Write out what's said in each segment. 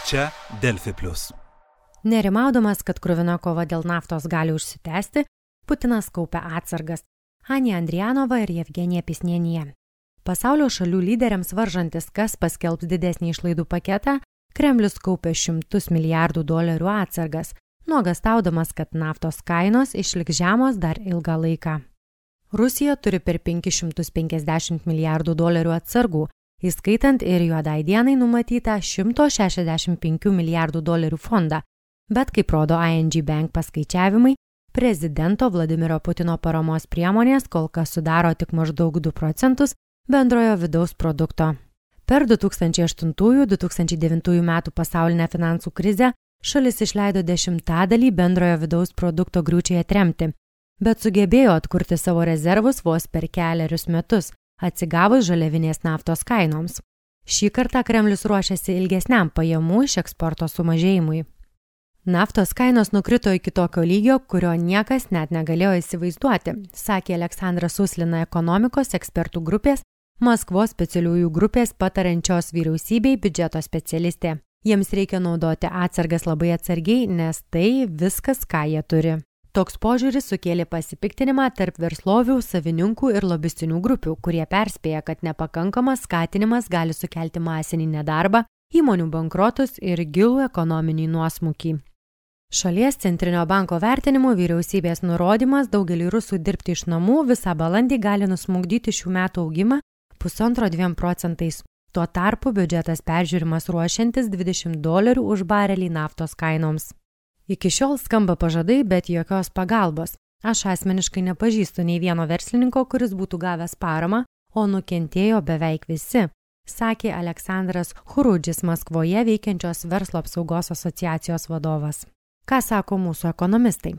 Čia Delfi Plus. Nerimaudamas, kad kruvina kova dėl naftos gali užsitęsti, Putinas kaupia atsargas. Anja Andrijanova ir Jevgenija Pisnienija. Pasaulio šalių lyderiams varžantis, kas paskelbs didesnį išlaidų paketą, Kremlius kaupia $100 milijardų atsargas, nuogąstaudamas, kad naftos kainos išliks žemos dar ilgą laiką. Rusija turi per $550 milijardų atsargų, įskaitant ir juodai dienai numatytą $165 milijardų fondą, bet kaip rodo ING Bank paskaičiavimai, prezidento Vladimiro Putino paramos priemonės kol kas sudaro tik maždaug 2% bendrojo vidaus produkto. Per 2008-2009 metų pasaulinę finansų krizę šalis išleido 10% bendrojo vidaus produkto griūčiai atremti, bet sugebėjo atkurti savo rezervus vos per kelerius metus, atsigavus žaliavinės naftos kainoms. Šį kartą Kremlius ruošiasi ilgesniam pajamų iš eksporto sumažėjimui. Naftos kainos nukrito iki tokio lygio, kurio niekas net negalėjo įsivaizduoti, sakė Aleksandras Uslina ekonomikos ekspertų grupės Maskvos specialiųjų grupės patariančios vyriausybei biudžeto specialistė. Jiems reikia naudoti atsargas labai atsargiai, nes tai viskas, ką jie turi. Toks požiūris sukėlė pasipiktinimą tarp verslovių, savininkų ir lobistinių grupių, kurie perspėja, kad nepakankamas skatinimas gali sukelti masinį nedarbą, įmonių bankrotus ir gilų ekonominį nuosmukį. Šalies centrinio banko vertinimu vyriausybės nurodymas daugelį rusų dirbti iš namų visą balandį gali nusmukdyti šių metų augimą 1,5–2%. Tuo tarpu biudžetas peržiūrimas ruošiantis $20 už barelį naftos kainoms. Iki šiol skamba pažadai, bet jokios pagalbos. Aš asmeniškai nepažįstu nei vieno verslininko, kuris būtų gavęs paramą, o nukentėjo beveik visi, sakė Aleksandras Hurudžis Maskvoje veikiančios verslo apsaugos asociacijos vadovas. Ką sako mūsų ekonomistai?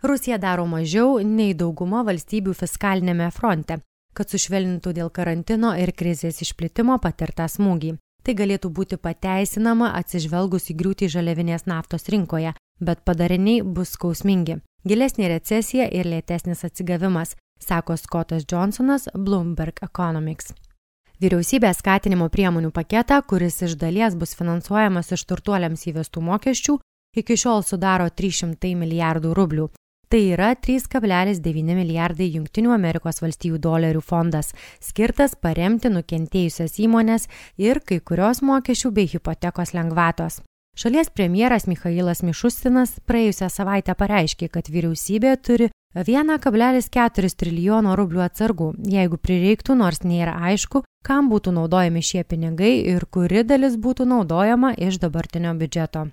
Rusija daro mažiau nei dauguma valstybių fiskalinėme fronte, kad sušvelnintų dėl karantino ir krizės išplitimo patirtą smūgį. Tai galėtų būti pateisinama atsižvelgus į griūtį žaliavinės naftos rinkoje, bet padariniai bus skausmingi. Gilesnė recesija ir lėtesnis atsigavimas, sako Scottas Johnsonas Bloomberg Economics. Vyriausybė skatinimo priemonių paketą, kuris iš dalies bus finansuojamas iš turtuoliams įvestų mokesčių, iki šiol sudaro $300 milijardų. Tai yra 3,9 milijardai Jungtinių Amerikos valstijų dolerių fondas, skirtas paremti nukentėjusias įmonės ir kai kurios mokesčių bei hipotekos lengvatos. Šalies premjeras Michailas Mišustinas praėjusią savaitę pareiškė, kad vyriausybė turi $1,4 trilijono atsargų, jeigu prireiktų, nors nėra aišku, kam būtų naudojami šie pinigai ir kuri dalis būtų naudojama iš dabartinio biudžeto.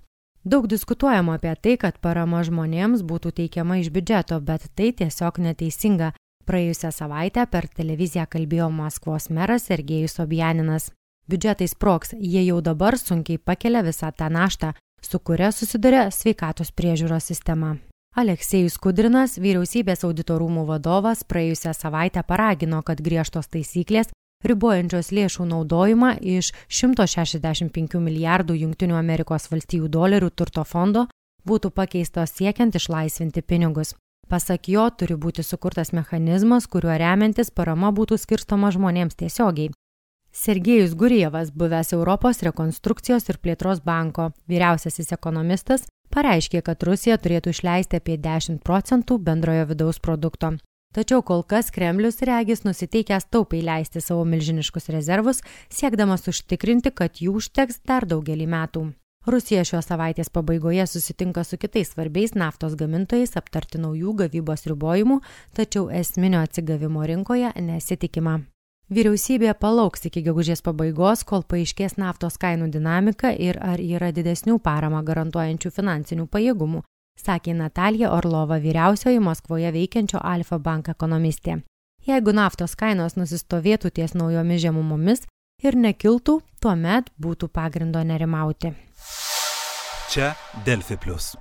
Daug diskutuojama apie tai, kad parama žmonėms būtų teikiama iš biudžeto, bet tai tiesiog neteisinga. Praėjusią savaitę per televiziją kalbėjo Maskvos meras Sergejus Sobjaninas. Biudžetai sprogs, jie jau dabar sunkiai pakelia visą tą naštą, su kuria susiduria sveikatos priežiūros sistema. Aleksejus Kudrinas, vyriausybės audito rūmų vadovas, praėjusią savaitę paragino, kad griežtos taisyklės ribojančios lėšų naudojimą iš $165 milijardų Jungtinių Amerikos valstijų dolerių turto fondo būtų pakeistos siekiant išlaisvinti pinigus. Pasak jo, turi būti sukurtas mechanizmas, kuriuo remiantis parama būtų skirstoma žmonėms tiesiogiai. Sergejus Gurjevas, buvęs Europos rekonstrukcijos ir plėtros banko vyriausiasis ekonomistas, pareiškė, kad Rusija turėtų išleisti apie 10% bendrojo vidaus produkto. Tačiau kol kas Kremlius regis nusiteikęs taupiai leisti savo milžiniškus rezervus, siekdamas užtikrinti, kad jų užteks dar daugelį metų. Rusija šios savaitės pabaigoje susitinka su kitais svarbiais naftos gamintojais aptarti naujų gavybos ribojimų, tačiau esminio atsigavimo rinkoje nesitikima. Vyriausybė palauks iki gegužės pabaigos, kol paaiškės naftos kainų dinamika ir ar yra didesnių paramą garantuojančių finansinių pajėgumų, sakė Natalija Orlova, vyriausioji Maskvoje veikiančio Alfa Bank ekonomistė. Jeigu naftos kainos nusistovėtų ties naujomis žemumomis ir nekiltų, tuomet būtų pagrindo nerimauti. Čia Delfi Plus.